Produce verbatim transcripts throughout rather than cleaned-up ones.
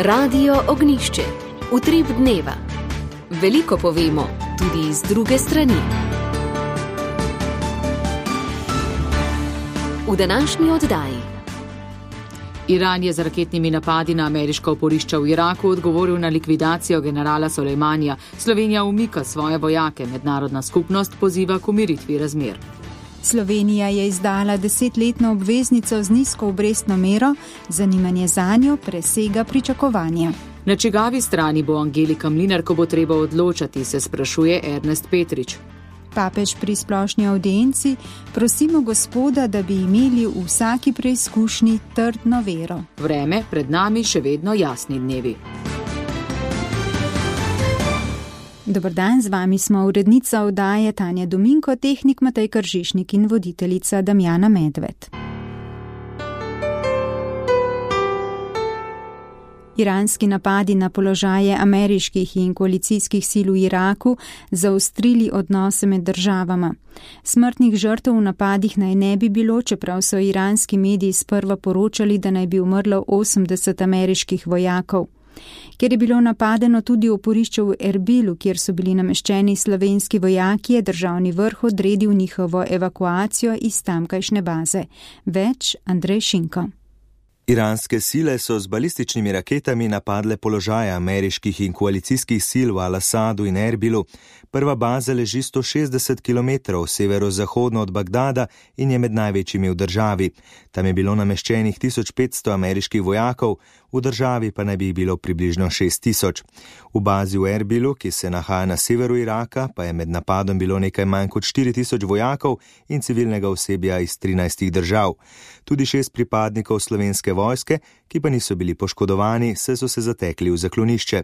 Radio Ognjišče. Utrip dneva. Veliko povemo, tudi iz druge strani. V današnji oddaji. Iran je z raketnimi napadi na ameriška oporišča v Iraku odgovoril na likvidacijo generala Sulejmanija. Slovenija umika svoje vojake, mednarodna skupnost poziva k umiritvi razmer. Slovenija je izdala desetletno obveznico z nizko obrestno mero, zanimanje zanjo presega pričakovanja. Na čigavi strani bo Angelika Mlinar, ko bo treba odločati, se sprašuje Ernest Petrič. Papež pri splošni avdienci: prosimo Gospoda, da bi imeli v vsaki preizkušnji trdno vero. Vreme, pred nami še vedno jasni dnevi. Dober dan, z vami smo urednica oddaje Tanja Dominko, tehnik Matej Kržišnik in voditeljica Damjana Medved. Iranski napadi na položaje ameriških in koalicijskih sil v Iraku zaostrili odnose med državama. Smrtnih žrtev v napadih naj ne bi bilo, čeprav so iranski mediji sprva poročali, da naj bi umrlo osemdeset ameriških vojakov. Ker je bilo napadeno tudi oporišče v Erbilu, kjer so bili nameščeni slovenski vojaki, je državni vrh odredil njihovo evakuacijo iz tamkajšnje baze. Več Andrej Šinko. Iranske sile so z balističnimi raketami napadle položaje ameriških in koalicijskih sil v Al-Asadu in Erbilu. Prva baza leži sto šestdeset kilometrov severozahodno od Bagdada in je med največjimi v državi. Tam je bilo nameščenih tisoč petsto ameriških vojakov, v državi pa naj bi jih bilo približno šest tisoč. V bazi v Erbilu, ki se nahaja na severu Iraka, pa je med napadom bilo nekaj manj kot štiri tisoč vojakov in civilnega osebja iz trinajstih držav. Tudi šest pripadnikov slovenske vojske, ki pa niso bili poškodovani, se so se zatekli v zaklonišče.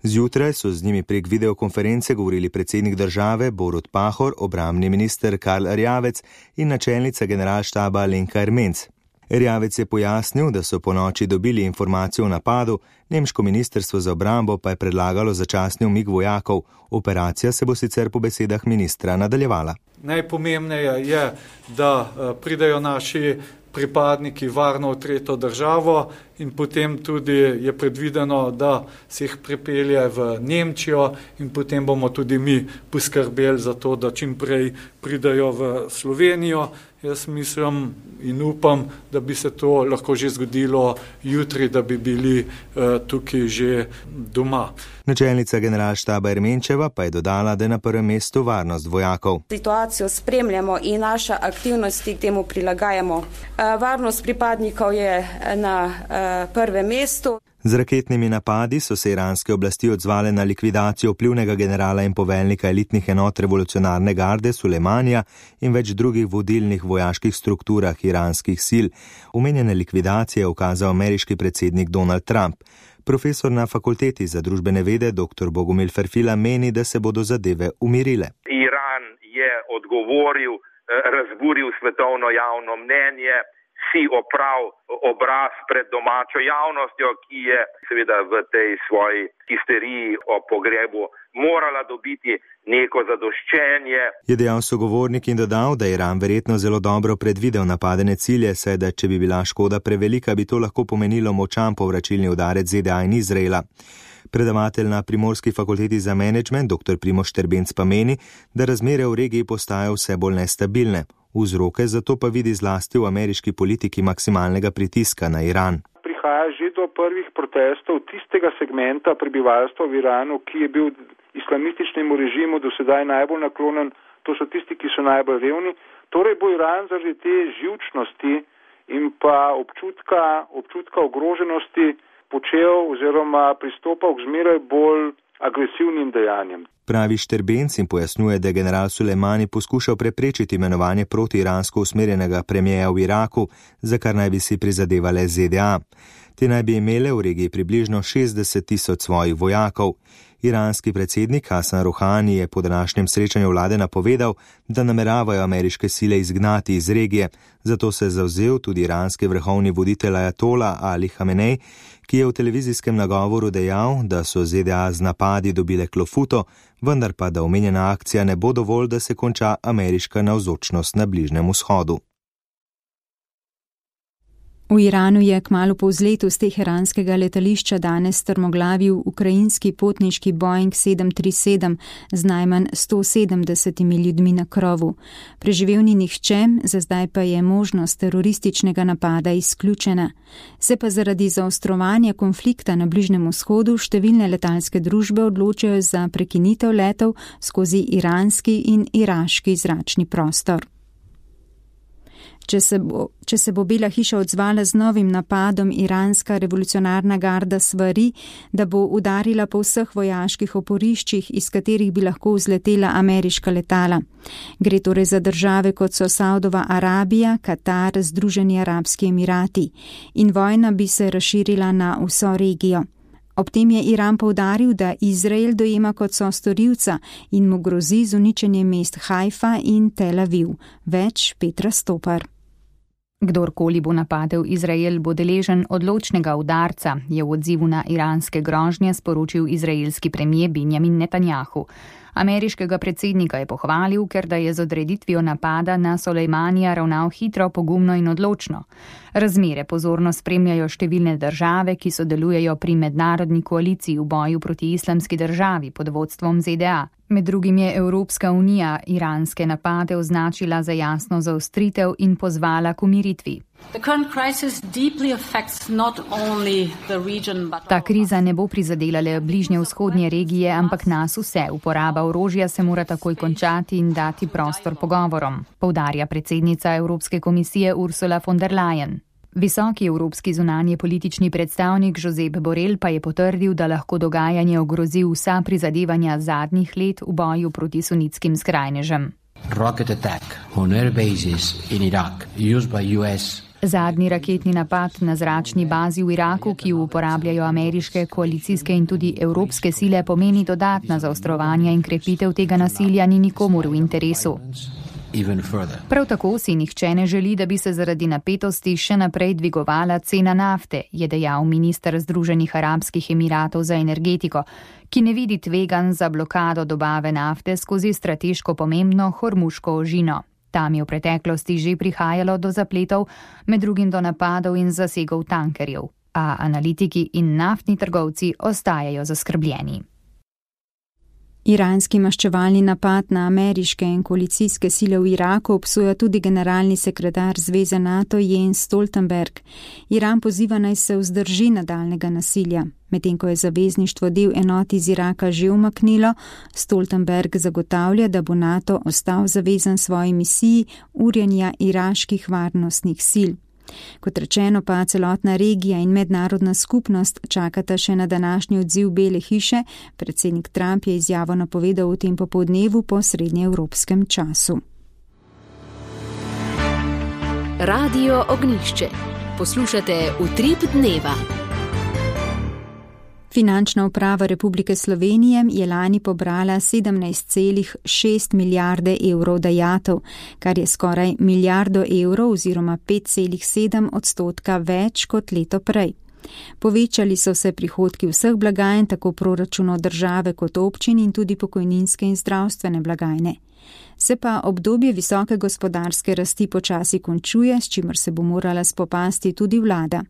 Zjutraj so z njimi prek videokonference govorili predsednik države Borut Pahor, obrambni minister Karl Erjavec in načelnica generalštaba Alenka Ermenc. Erjavec je pojasnil, da so po noči dobili informacijo o napadu, nemško ministrstvo za obrambo pa je predlagalo začasni umik vojakov. Operacija se bo sicer po besedah ministra nadaljevala. Najpomembneje je, da pridejo naši pripadniki varno v tretjo državo in potem tudi je predvideno, da se jih pripelje v Nemčijo in potem bomo tudi mi poskrbeli za to, da čim prej pridejo v Slovenijo. Jaz mislim in upam, da bi se to lahko že zgodilo jutri, da bi bili uh, tukaj že doma. Načelnica generalštaba Ermenčeva pa je dodala, da je na prvem mestu varnost vojakov. Situacijo spremljamo in naše aktivnosti k temu prilagajamo. Uh, varnost pripadnikov je na uh, prvem mestu. Z raketnimi napadi so se iranske oblasti odzvale na likvidacijo vplivnega generala in poveljnika elitnih enot revolucionarne garde Sulejmanija in več drugih vodilnih vojaških strukturah iranskih sil. Omenjene likvidacije je ukazal ameriški predsednik Donald Trump. Profesor na fakulteti za družbene vede dr. Bogomil Ferfila meni, da se bodo zadeve umirile. Iran je odgovoril, razburil svetovno javno mnenje, si oprav obraz pred domačo javnostjo, ki je seveda v tej svoji histeriji o pogrebu morala dobiti neko zadoščenje. Je dejal sogovornik in dodal, da je Iran verjetno zelo dobro predvidel napadene cilje, saj da če bi bila škoda prevelika, bi to lahko pomenilo močan povračilni udarec Z D A in Izraela. Predavatelj na Primorski fakulteti za menedžment dr. Primož Šterbenc pa meni, da razmere v regiji postajajo vse bolj nestabilne. Vzroke zato pa vidi zlasti v ameriški politiki maksimalnega pritiska na Iran. Prihaja že do prvih protestov tistega segmenta prebivalstva v Iranu, ki je bil islamističnemu režimu do sedaj najbolj naklonjen, to so tisti, ki so najbolj revni. Torej bo Iran zaradi te živčnosti in pa občutka, občutka ogroženosti počel oziroma pristopal k zmeraj bolj agresivnim dejanjem. Pravi Šterbenc in pojasnjuje, da je general Sulejmani poskušal preprečiti imenovanje protiiransko usmerjenega premijeja v Iraku, za kar naj bi si prizadevale Z D A. Te naj bi imele v regiji približno šestdeset tisoč svojih vojakov. Iranski predsednik Hasan Rouhani je po današnjem srečanju vlade napovedal, da nameravajo ameriške sile izgnati iz regije, zato se je zavzel tudi iranski vrhovni voditelj ajatola Ali Hamenej, ki je v televizijskem nagovoru dejal, da so Z D A z napadi dobile klofuto, vendar pa da omenjena akcija ne bo dovolj, da se konča ameriška navzočnost na Bližnjem vzhodu. V Iranu je kmalu po vzletu z teheranskega letališča danes strmoglavil ukrajinski potniški Boeing sedem tri sedem z najmanj sto sedemdesetimi ljudmi na krovu. Preživel ni nihče, za zdaj pa je možnost terorističnega napada izključena. Se pa zaradi zaostrovanja konflikta na Bližnjem vzhodu številne letalske družbe odločajo za prekinitev letov skozi iranski in iraški zračni prostor. Če se, bo, če se bo Bela hiša odzvala z novim napadom, iranska revolucionarna garda svari, da bo udarila po vseh vojaških oporiščih, iz katerih bi lahko vzletela ameriška letala. Gre torej za države, kot so Saudova Arabija, Katar, Združeni arabski emirati. In vojna bi se razširila na vso regijo. Ob tem je Iran poudaril, da Izrael dojema kot sostorilca in mu grozi z uničenjem mest Haifa in Tel Aviv. Več Petra Stopar. Kdorkoli bo napadel Izrael, bo deležen odločnega udarca, je v odzivu na iranske grožnje sporočil izraelski premier Benjamin Netanjahu. Ameriškega predsednika je pohvalil, ker da je z odreditvijo napada na Sulejmanija ravnal hitro, pogumno in odločno. Razmere pozorno spremljajo številne države, ki sodelujejo pri mednarodni koaliciji v boju proti islamski državi pod vodstvom Z D A. Med drugim je Evropska unija iranske napade označila za jasno zaostritev in pozvala k umiritvi. Ta kriza ne bo prizadela le bližnje vzhodnje regije, ampak nas vse. Uporaba orožja se mora takoj končati in dati prostor pogovorom, poudarja predsednica Evropske komisije Ursula von der Leyen. Visoki evropski zunanje politični predstavnik Josep Borrell pa je potrdil, da lahko dogajanje ogrozi vsa prizadevanja zadnjih let v boju proti sunitskim skrajnežem. Rocket attack on air bases in Iraq used by U S. Zadnji raketni napad na zračni bazi v Iraku, ki jo uporabljajo ameriške, koalicijske in tudi evropske sile, pomeni dodatna zaostrovanja in krepitev tega nasilja ni nikomur v interesu. Prav tako si nihče ne želi, da bi se zaradi napetosti še naprej dvigovala cena nafte, je dejal minister Združenih arabskih emiratov za energetiko, ki ne vidi tveganj za blokado dobave nafte skozi strateško pomembno Hormuško ožino. Tam je v preteklosti že prihajalo do zapletov, med drugim do napadov in zasegov tankerjev, a analitiki in naftni trgovci ostajajo zaskrbljeni. Iranski maščevalni napad na ameriške in koalicijske sile v Iraku obsoja tudi generalni sekretar Zveze NATO Jens Stoltenberg. Iran poziva naj se vzdrži nadaljnega nasilja. Medtem ko je zavezništvo del enot iz Iraka že umaknilo, Stoltenberg zagotavlja, da bo NATO ostal zavezan svoji misiji urjenja iraških varnostnih sil. Kot rečeno pa celotna regija in mednarodna skupnost čakata še na današnji odziv Bele hiše. Predsednik Trump je izjavo napovedal v tem popoldnevu po srednjeevropskem času. Radio Ognjišče. Poslušate Utrip dneva. Finančna uprava Republike Slovenije je lani pobrala sedemnajst celih šest milijarde evrov dajatev, kar je skoraj milijardo evrov oziroma pet celih sedem odstotka več kot leto prej. Povečali so se prihodki vseh blagajn, tako proračunov države kot občin in tudi pokojninske in zdravstvene blagajne. Se pa obdobje visoke gospodarske rasti počasi končuje, s čimer se bo morala spopasti tudi vlada.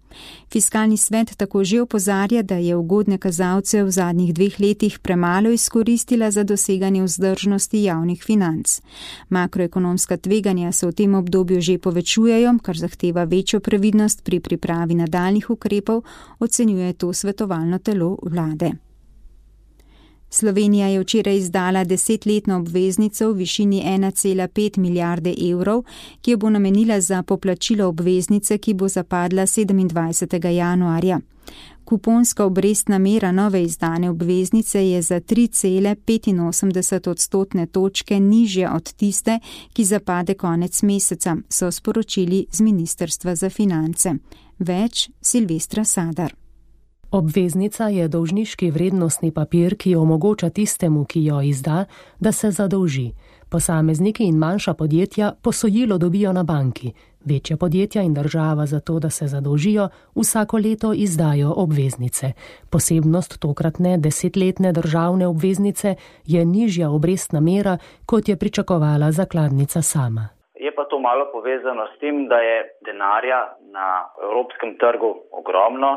Fiskalni svet tako že opozarja, da je ugodne kazalce v zadnjih dveh letih premalo izkoristila za doseganje vzdržnosti javnih financ. Makroekonomska tveganja se v tem obdobju že povečujejo, kar zahteva večjo previdnost pri pripravi nadaljnjih ukrepov, ocenjuje to svetovalno telo vlade. Slovenija je včeraj izdala desetletno obveznico v višini ena cela pet milijarde evrov, ki jo bo namenila za poplačilo obveznice, ki bo zapadla sedemindvajsetega januarja. Kuponska obrestna mera nove izdane obveznice je za tri cele petinosemdeset odstotne točke nižja od tiste, ki zapade konec meseca, so sporočili z Ministrstva za finance. Več Silvestra Sadar. Obveznica je dolžniški vrednostni papir, ki omogoča tistemu, ki jo izda, da se zadolži. Posamezniki in manjša podjetja posojilo dobijo na banki. Večja podjetja in država za to, da se zadolžijo, vsako leto izdajo obveznice. Posebnost tokratne desetletne državne obveznice je nižja obrestna mera, kot je pričakovala zakladnica sama. Je pa to malo povezano s tem, da je denarja na evropskem trgu ogromno.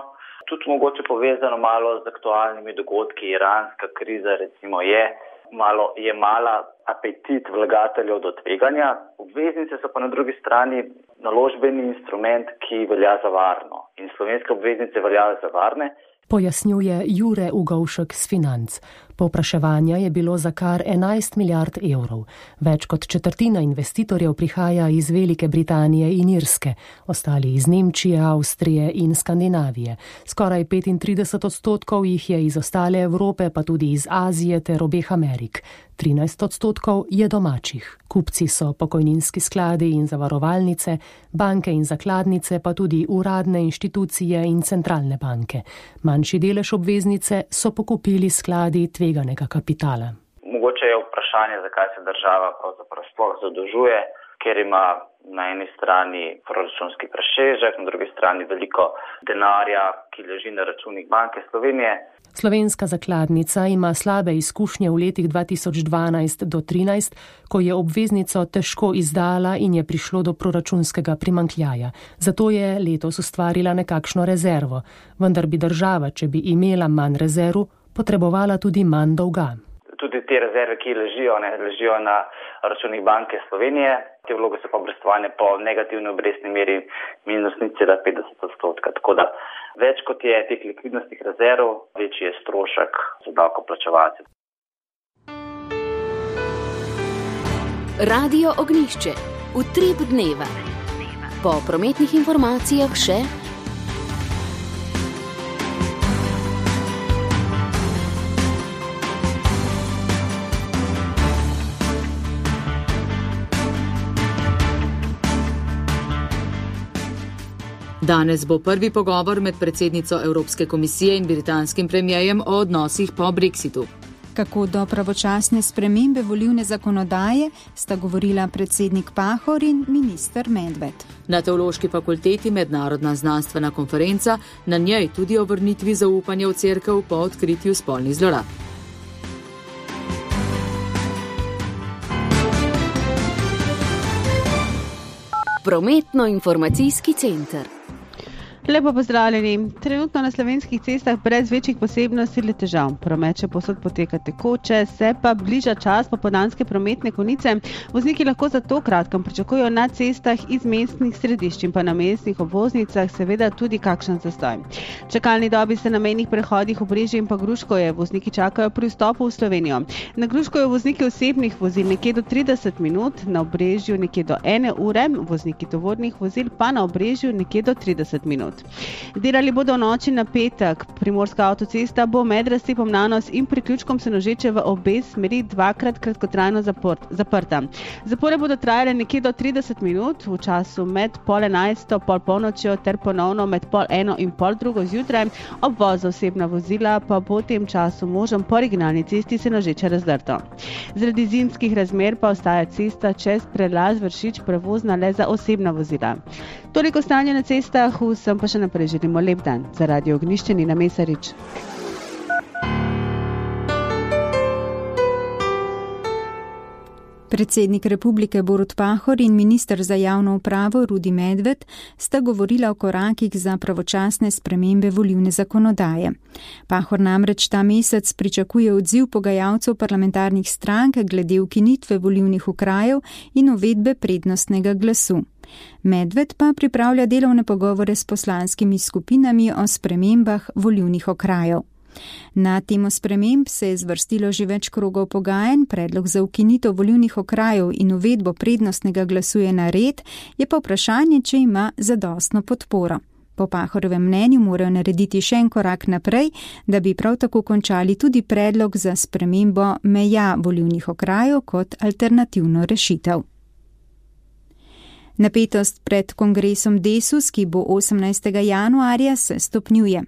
Tudi mogoče povezano malo z aktualnimi dogodki. Iranska kriza recimo je, malo je mala apetit vlagateljev do tveganja. Obveznice so pa na drugi strani naložbeni instrument, ki velja za varno. In slovenske obveznice veljajo za varne. Pojasnjuje Jure Ugovšek z Financ. Povpraševanja je bilo za kar enajst milijard evrov. Več kot četrtina investitorjev prihaja iz Velike Britanije in Irske, ostali iz Nemčije, Avstrije in Skandinavije. Skoraj petintrideset odstotkov jih je iz ostale Evrope, pa tudi iz Azije ter obeh Amerik. trinajst odstotkov je domačih. Kupci so pokojninski skladi in zavarovalnice, banke in zakladnice, pa tudi uradne inštitucije in centralne banke. Manjši delež obveznice so pokupili skladi tveganega kapitala. Mogoče je vprašanje, zakaj se država pravzaprav sploh zadolžuje, ker ima na eni strani proračunski presežek, na drugi strani veliko denarja, ki leži na računih Banke Slovenije. Slovenska zakladnica ima slabe izkušnje v letih dva tisoč dvanajst do trinajst, ko je obveznico težko izdala in je prišlo do proračunskega primanjkljaja. Zato je letos ustvarila nekakšno rezervo. Vendar bi država, če bi imela manj rezerv, potrebovala tudi manj dolga. Tudi te rezerve, ki ležijo, ne, ležijo na računih Banke Slovenije. Te vloge so pa obrestovane po negativni obrestni meri minus nič cela petdeset odstotka. Tako da več kot je teh likvidnostnih rezerv, večji je strošek za davkoplačevalce. Radio Ognjišče. Utrip dneva. Po prometnih informacijah še Danes bo prvi pogovor med predsednico Evropske komisije in britanskim premijejem o odnosih po Brexitu. Kako do pravočasne spremembe volilne zakonodaje sta govorila predsednik Pahor in minister Medved. Na Teološki fakulteti mednarodna znanstvena konferenca, na njej tudi o vrnitvi zaupanja v cerkev po odkritju spolnih zlorab. Prometno-informacijski center. Lepo pozdravljeni. Trenutno na slovenskih cestah brez večjih posebnosti ali težav. Promet še povsod poteka tekoče, se pa bliža čas popoldanske prometne konice. Vozniki lahko zato kratkem pričakujejo na cestah iz mestnih središč in pa na mestnih obvoznicah seveda tudi kakšen zastoj. Čakalni dobi se na mejnih prehodih Obrežje in pa Gruškovje vozniki čakajo pri vstopu v Slovenijo. Na Gruškovju vozniki osebnih vozil nekje do trideset minut, na Obrežju nekje do ene ure, vozniki tovornih vozil pa na Obrežju nekje do trideset minut. Delali bodo v noči na petek. Primorska avtocesta bo med razcepom Nanos in priključkom Senožeče v obe smeri dvakrat kratkotrajno zaport, zaprta. Zapore bodo trajale nekje do trideset minut v času med pol enajsto, pol polnočjo ter ponovno med pol eno in pol drugo zjutraj. Obvoz za osebna vozila pa bo v tem času možen po regionalni cesti Senožeče Razdrto. Zaradi zimskih razmer pa ostaja cesta čez prelaz Vršič prevozna le za osebna vozila. Toliko stanja na cestah, vsem pa še naprej želimo lep dan. Za Radio Ognjišče Nina Mesarič. Predsednik republike Borut Pahor in minister za javno upravo Rudi Medved sta govorila o korakih za pravočasne spremembe volilne zakonodaje. Pahor namreč ta mesec pričakuje odziv pogajalcev parlamentarnih strank glede ukinitve volilnih okrajev in uvedbe prednostnega glasu. Medved pa pripravlja delovne pogovore s poslanskimi skupinami o spremembah volilnih okrajev. Na temo sprememb se je zvrstilo že več krogov pogajanj, predlog za ukinitev volilnih okrajev in uvedbo prednostnega glasu je nared, je pa vprašanje, če ima zadostno podporo. Po Pahorovem mnenju morajo narediti še en korak naprej, da bi prav tako končali tudi predlog za spremembo meja volilnih okrajev kot alternativno rešitev. Napetost pred kongresom Desus, ki bo osemnajstega januarja, se stopnjuje.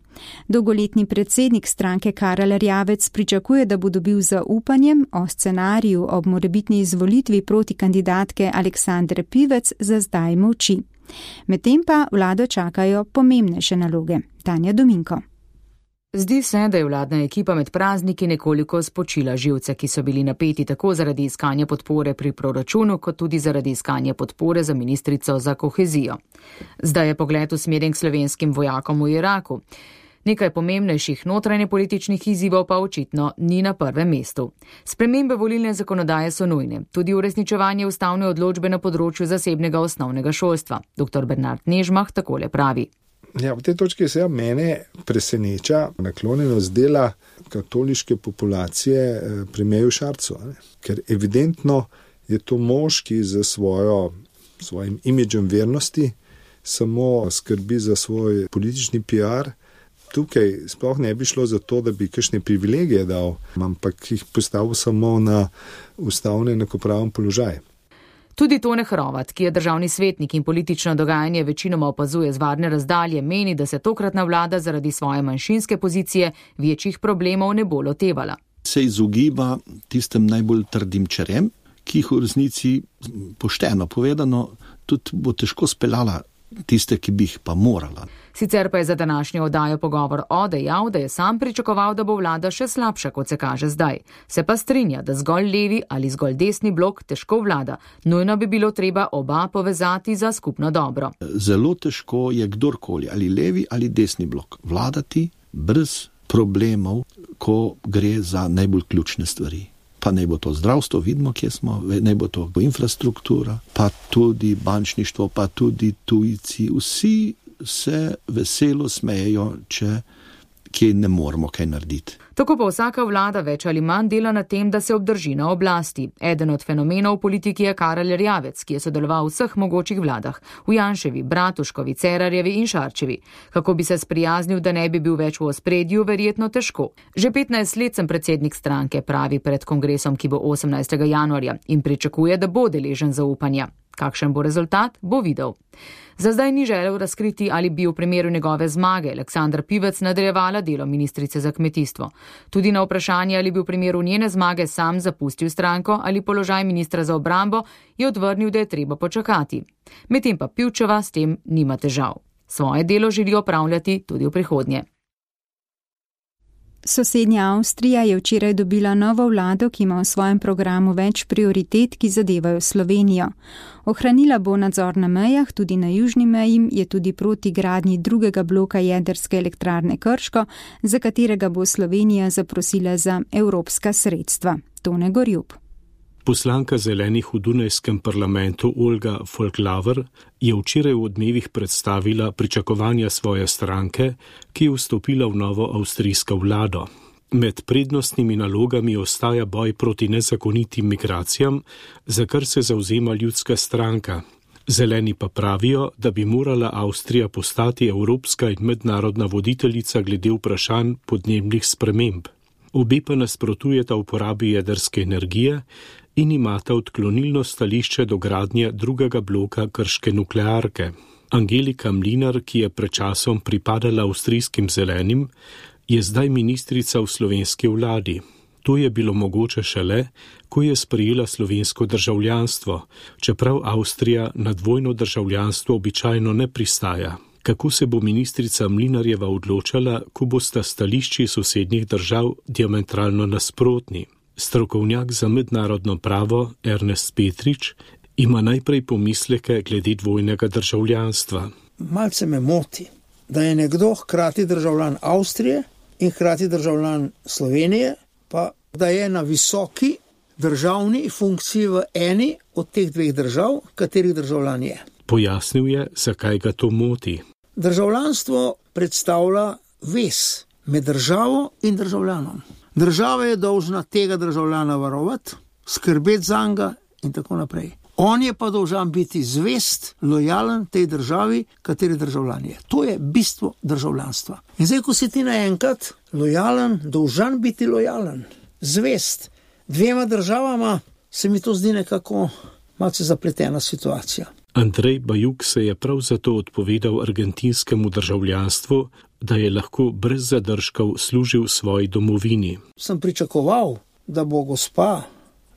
Dolgoletni predsednik stranke Karel Erjavec pričakuje, da bo dobil zaupanjem o scenariju ob morebitni izvolitvi proti kandidatke Aleksandre Pivec za zdaj molči. Medtem pa vlado čakajo pomembnejše naloge. Tanja Dominko. Zdi se, da je vladna ekipa med prazniki nekoliko spočila živce, ki so bili napeti tako zaradi iskanja podpore pri proračunu, kot tudi zaradi iskanja podpore za ministrico za kohezijo. Zdaj je pogled usmerjen k slovenskim vojakom v Iraku. Nekaj pomembnejših notranjepolitičnih izzivov pa očitno ni na prvem mestu. Spremembe volilne zakonodaje so nujne, tudi uresničevanje ustavne odločbe na področju zasebnega osnovnega šolstva. doktor Bernard Nežmah takole pravi. Ja, v tej točki se ja mene preseneča naklonjenost dela katoliške populacije premijeru Šarcu, ne? Ker evidentno je to mož, ki za svojo, svojim imidžem vernosti samo skrbi za svoj politični P R. Tukaj sploh ne bi šlo za to, da bi kakšne privilegije dal, ampak jih postavil samo na ustavno enakopraven položaj. Tudi Tone Hrovat, ki je državni svetnik in politično dogajanje večinoma opazuje z varne razdalje, meni, da se tokratna vlada zaradi svoje manjšinske pozicije večjih problemov ne bo lotevala. Se izogiba tistem najbolj trdim čerem, ki jih v resnici pošteno povedano tudi bo težko speljala tiste, ki bi jih pa morala. Sicer pa je za današnjo oddajo Pogovor o dejal, da je sam pričakoval, da bo vlada še slabša, kot se kaže zdaj. Se pa strinja, da zgolj levi ali zgolj desni blok težko vlada. Nujno bi bilo treba oba povezati za skupno dobro. Zelo težko je kdorkoli, ali levi ali desni blok, vladati brez problemov, ko gre za najbolj ključne stvari. Pa naj bo to zdravstvo, vidimo, kje smo, naj bo to infrastruktura, pa tudi bančništvo, pa tudi tujci. Vsi se veselo smejejo, če kje ne moramo kaj narediti. Tako pa vsaka vlada več ali manj dela na tem, da se obdrži na oblasti. Eden od fenomenov v politiki je Karel Erjavec, ki je sodeloval v vseh mogočih vladah, v Janševi, Bratuškovi, Cerarjevi in Šarčevi. Kako bi se sprijaznil, da ne bi bil več v ospredju, verjetno težko. Že petnajst let sem predsednik stranke, pravi pred kongresom, ki bo osemnajstega januarja, in pričakuje, da bo deležen zaupanja. Kakšen bo rezultat, bo videl. Za zdaj ni želel razkriti, ali bi v primeru njegove zmage Aleksandra Pivec nadaljevala delo ministrice za kmetijstvo. Tudi na vprašanje, ali bi v primeru njene zmage sam zapustil stranko ali položaj ministra za obrambo, je odvrnil, da je treba počakati. Medtem pa Pivčeva s tem nima težav. Svoje delo želi opravljati tudi v prihodnje. Sosednja Avstrija je včeraj dobila novo vlado, ki ima v svojem programu več prioritet, ki zadevajo Slovenijo. Ohranila bo nadzor na mejah, tudi na južni meji, je tudi proti gradnji drugega bloka jedrske elektrarne Krško, za katerega bo Slovenija zaprosila za evropska sredstva. Tone Gorjup. Poslanka zelenih v Dunajskem parlamentu Olga Folklaver je včeraj v Odmevih predstavila pričakovanja svoje stranke, ki je vstopila v novo avstrijsko vlado. Med prednostnimi nalogami ostaja boj proti nezakonitim migracijam, za kar se zavzema ljudska stranka. Zeleni pa pravijo, da bi morala Avstrija postati evropska in mednarodna voditeljica glede vprašanj podnebnih sprememb. Obe pa nasprotujeta uporabi jedrske energije in imata odklonilno stališče do gradnje drugega bloka krške nuklearke. Angelika Mlinar, ki je pred časom pripadala avstrijskim zelenim, je zdaj ministrica v slovenski vladi. To je bilo mogoče šele, ko je sprejela slovensko državljanstvo, čeprav Avstrija na dvojno državljanstvo običajno ne pristaja. Kako se bo ministrica Mlinarjeva odločala, ko bosta stališči sosednjih držav diametralno nasprotni? Strokovnjak za mednarodno pravo Ernest Petrič ima najprej pomisleke glede dvojnega državljanstva. Malce me moti, da je nekdo hkrati državljan Avstrije in hkrati državljan Slovenije, pa da je na visoki državni funkciji v eni od teh dveh držav, katerih državljan je. Pojasnil je, zakaj ga to moti. Državljanstvo predstavlja vez med državo in državljanom. Država je dolžna tega državljana varovati, skrbeti zanj in tako naprej. On je pa dolžan biti zvest, lojalen tej državi, kateri državljan je. To je bistvo državljanstva. In zdaj, ko si ti naenkrat lojalen, dolžan biti lojalen, zvest dvema državama, se mi to zdi nekako malce zapletena situacija. Andrej Bajuk se je prav zato odpovedal argentinskemu državljanstvu, da je lahko brez zadržkov služil svoji domovini. Sem pričakoval, da bo gospa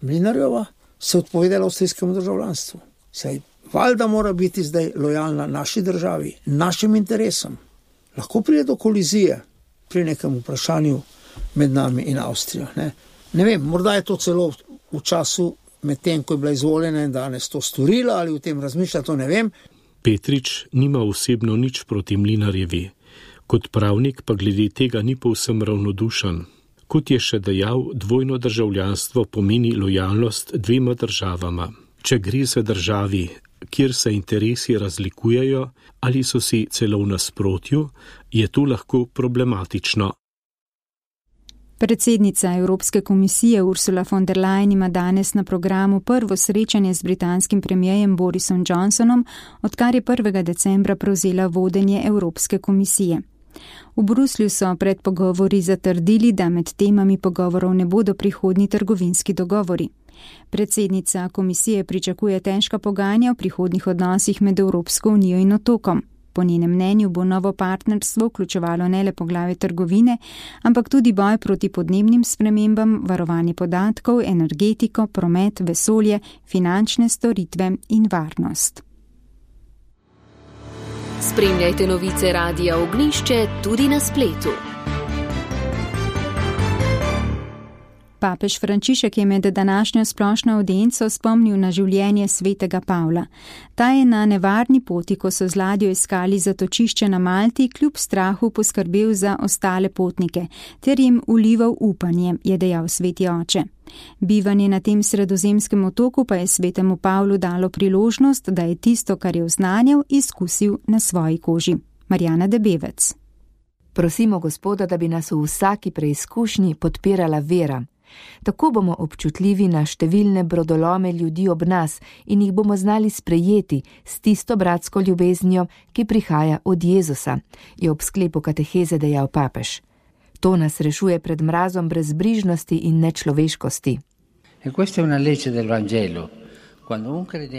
Mlinarjeva se odpovedala avstrijskemu državljanstvu. Saj valjda mora biti zdaj lojalna naši državi, našim interesom. Lahko pride do kolizije, pri nekem vprašanju med nami in Avstrijo. Ne, ne vem, morda je to celo v času med tem, ko je bila izvoljena in danes to storila ali v tem razmišlja, to ne vem. Petrič nima osebno nič proti Mlinarjevi. Kot pravnik pa glede tega ni povsem ravnodušen. Kot je še dejal, dvojno državljanstvo pomeni lojalnost dvema državama. Če gre za državi, kjer se interesi razlikujejo ali so si celo v nasprotju, je to lahko problematično. Predsednica Evropske komisije Ursula von der Leyen ima danes na programu prvo srečanje z britanskim premierjem Borisom Johnsonom, odkar je prvega decembra prevzela vodenje Evropske komisije. V Bruslju so pred pogovori zatrdili, da med temami pogovorov ne bodo prihodnji trgovinski dogovori. Predsednica komisije pričakuje težka pogajanja o prihodnjih odnosih med Evropsko unijo in otokom. Po njenem mnenju bo novo partnerstvo vključevalo ne le poglavje trgovine, ampak tudi boj proti podnebnim spremembam, varovanje podatkov, energetiko, promet, vesolje, finančne storitve in varnost. Spremljajte novice Radia Ognjišče tudi na spletu. Papež Frančišek je med današnjo splošno avdienco spomnil na življenje svetega Pavla. Ta je na nevarni poti, ko so z ladjo iskali zatočišče na Malti, kljub strahu poskrbel za ostale potnike, ter jim vlival upanje, je dejal sveti oče. Bivanje na tem sredozemskem otoku pa je svetemu Pavlu dalo priložnost, da je tisto, kar je oznanjal, izkusil na svoji koži. Marjana Debevec. Prosimo Gospoda, da bi nas v vsaki preizkušnji podpirala vera. Tako bomo občutljivi na številne brodolome ljudi ob nas in jih bomo znali sprejeti s tisto bratsko ljubeznijo, ki prihaja od Jezusa, je ob sklepu kateheze dejal papež. To nas rešuje pred mrazom brezbrižnosti in nečloveškosti.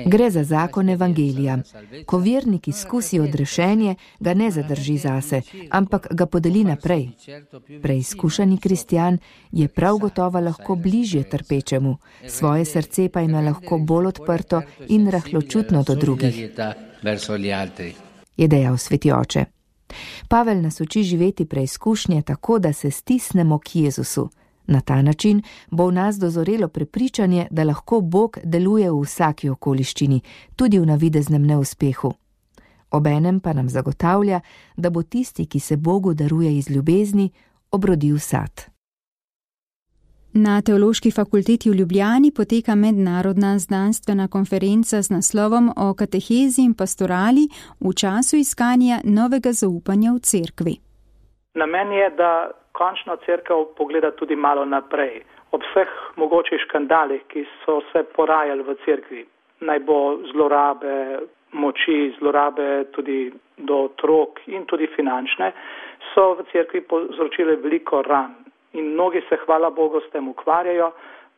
Gre za zakon evangelija. Ko vernik izkusi odrešenje, ga ne zadrži zase, ampak ga podeli naprej. Preizkušani kristjan je prav gotovo lahko bližje trpečemu, svoje srce pa ima lahko bolj odprto in rahločutno do drugih, je dejal sveti oče. Pavel nas uči živeti preizkušnje tako, da se stisnemo k Jezusu. Na ta način bo v nas dozorelo prepričanje, da lahko Bog deluje v vsaki okoliščini, tudi v navideznem neuspehu. Obenem pa nam zagotavlja, da bo tisti, ki se Bogu daruje iz ljubezni, obrodil sad. Na Teološki fakulteti v Ljubljani poteka mednarodna znanstvena konferenca z naslovom o katehezi in pastorali v času iskanja novega zaupanja v cerkvi. Namen je, da končno cerkev pogleda tudi malo naprej. Ob vseh mogočih škandalih, ki so se porajali v cerkvi, naj bo zlorabe moči, zlorabe tudi do otrok in tudi finančne, so v cerkvi povzročile veliko ran. In mnogi se, hvala Bogu, s tem ukvarjajo,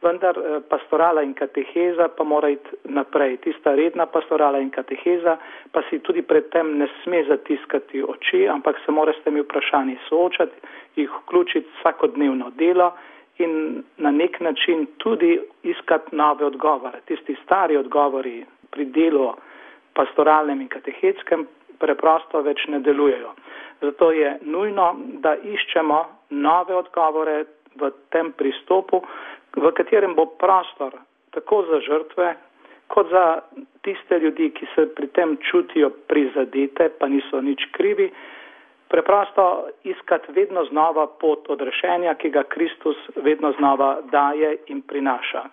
vendar pastorala in kateheza pa mora iti naprej. Tista redna pastorala in kateheza pa si tudi pred tem ne sme zatiskati oči, ampak se mora s temi vprašanji soočati, jih vključiti vsakodnevno delo in na nek način tudi iskati nove odgovore. Tisti stari odgovori pri delu pastoralnem in katehetskem preprosto več ne delujejo. Zato je nujno, da iščemo nove odgovore v tem pristopu, v katerem bo prostor tako za žrtve, kot za tiste ljudi, ki se pri tem čutijo prizadete, pa niso nič krivi, preprosto iskati vedno znova pot odrešenja, ki ga Kristus vedno znova daje in prinaša.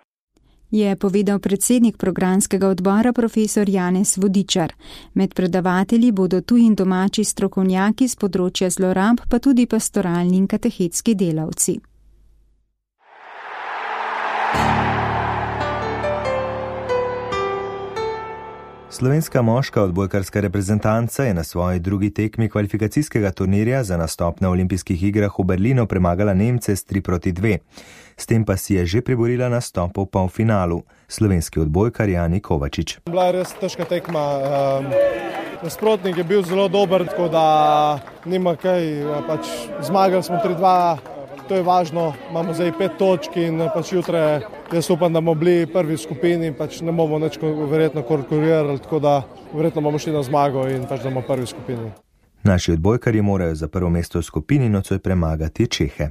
Je povedal predsednik programskega odbora profesor Janez Vodičar. Med predavatelji bodo tuji in domači strokovnjaki z področja zlorab, pa tudi pastoralni in katehetski delavci. Slovenska moška odbojkarska reprezentanca je na svoji drugi tekmi kvalifikacijskega turnirja za nastop na olimpijskih igrah v Berlinu premagala Nemce s tri proti dve. S tem pa si je že priborila nastop v polfinalu. Slovenski odbojkar Jani Kovačič. Bila je res težka tekma. Nasprotnik je bil zelo dober, tako da nima kaj. Pač zmagali smo tri dva, to je važno. Imamo zdaj pet točk in pač jutre jaz upam, da bomo bili prvi v skupini, pač ne bomo nič verjetno konkurirali, tako da verjetno bomo šli na zmago in pač da bomo prvi v skupini. Naši odbojkarji morajo za prvo mesto v skupini nocoj premagati Čehe.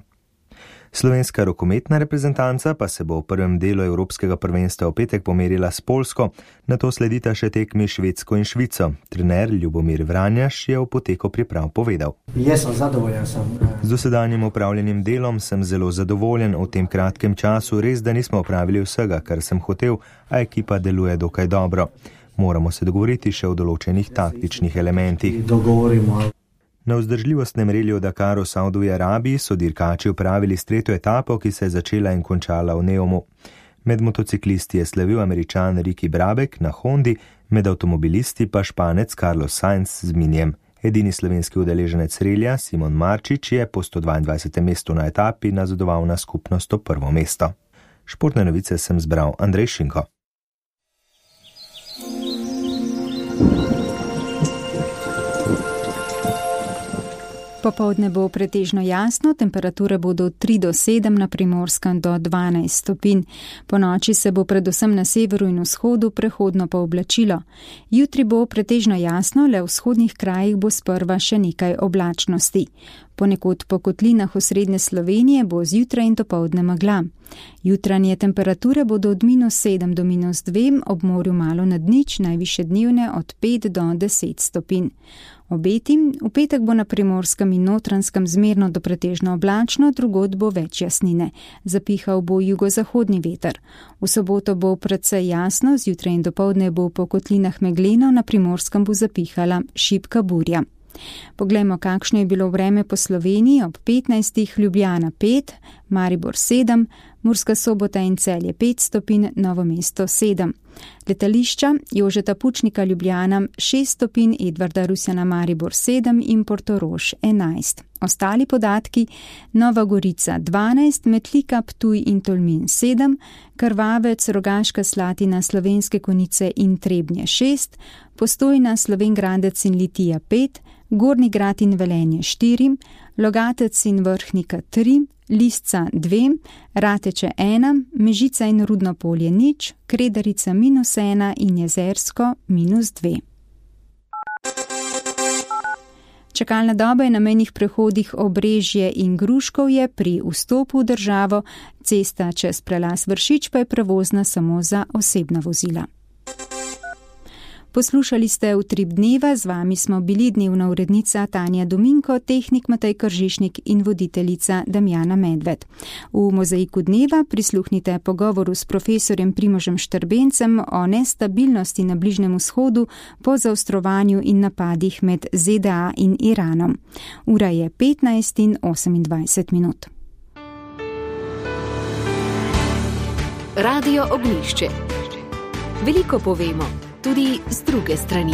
Slovenska rokometna reprezentanca pa se bo v prvem delu Evropskega prvenstva v petek pomerila s Poljsko, nato sledita še tekmi Švedsko in Švico. Trener Ljubomir Vranjaš je o poteku priprav povedal. Jaz sem zadovoljen. Sem. Z dosedanjim upravljenim delom sem zelo zadovoljen. V tem kratkem času res, da nismo opravili vsega, kar sem hotel, a ekipa deluje dokaj dobro. Moramo se dogovoriti še o določenih taktičnih elementih. Dogovorimo. Na vzdržljivostnem reliju Dakaru v Saudovski Arabiji so dirkači upravili s tretjo etapo, ki se je začela in končala v Neumu. Med motociklisti je slavil Američan Ricky Brabek na Hondi, med avtomobilisti pa Španec Carlos Sainz z Minijem. Edini slovenski udeleženec relija Simon Marčič je po sto dvaindvajsetem mestu na etapi nazadoval na skupno sto prvo mesto. Športne novice sem zbral Andrej Šinko. Popoldne bo pretežno jasno, temperature bodo od tri do sedem, na Primorskem do dvanajst stopinj. Po noči se bo predvsem na severu in vzhodu prehodno pooblačilo. Jutri bo pretežno jasno, le v vzhodnih krajih bo sprva še nekaj oblačnosti. Ponekod po kotlinah osrednje Slovenije bo zjutraj in dopoldne megla. Jutranje temperature bodo od minus sedem do minus dve, ob morju malo nad nič, najvišje dnevne od pet do deset stopinj. Obeti, v petek bo na Primorskem in Notranjskem zmerno do pretežno oblačno, drugod bo več jasnine. Zapihal bo jugozahodni veter. V soboto bo precej jasno, zjutraj in dopoldne bo po kotlinah megleno, na Primorskem bo zapihala šibka burja. Poglejmo, kakšno je bilo vreme po Sloveniji. Ob petnajstih Ljubljana pet, Maribor sedem, Murska Sobota in Celje pet stopinj, Novo mesto sedem. Letališča Jožeta Pučnika Ljubljana šest stopinj, Edvarda Rusjana Maribor sedem in Portorož enajst. Ostali podatki: Nova Gorica dvanajst, Metlika, Ptuj in Tolmin sedem, Krvavec, Rogaška Slatina, Slovenske Konjice in Trebnje šest, Postojna, Slovenj-Gradec in Litija pet, Gornji Grad in Velenje štiri, Logatec in Vrhnika tri, Lisca dve, Rateče ena, Mežica in Rudno Polje nič, Kredarica minus ena in Jezersko minus dve. Čakalna doba je na mejnih prehodih Obrežje in Gruškovje pri vstopu v državo, cesta čez prelaz Vršič pa je prevozna samo za osebna vozila. Poslušali ste Utrip dneva, z vami smo bili dnevna urednica Tanja Dominko, tehnik Matej Kržišnik in voditeljica Damjana Medved. V Mozaiku dneva prisluhnite pogovoru s profesorjem Primožem Štrbencem o nestabilnosti na Bližnjem vzhodu po zaostrovanju in napadih med Z D A in Iranom. Ura je petnajst in osemindvajset minut. Radio Ognjišče. Veliko povemo, tudi z druge strani.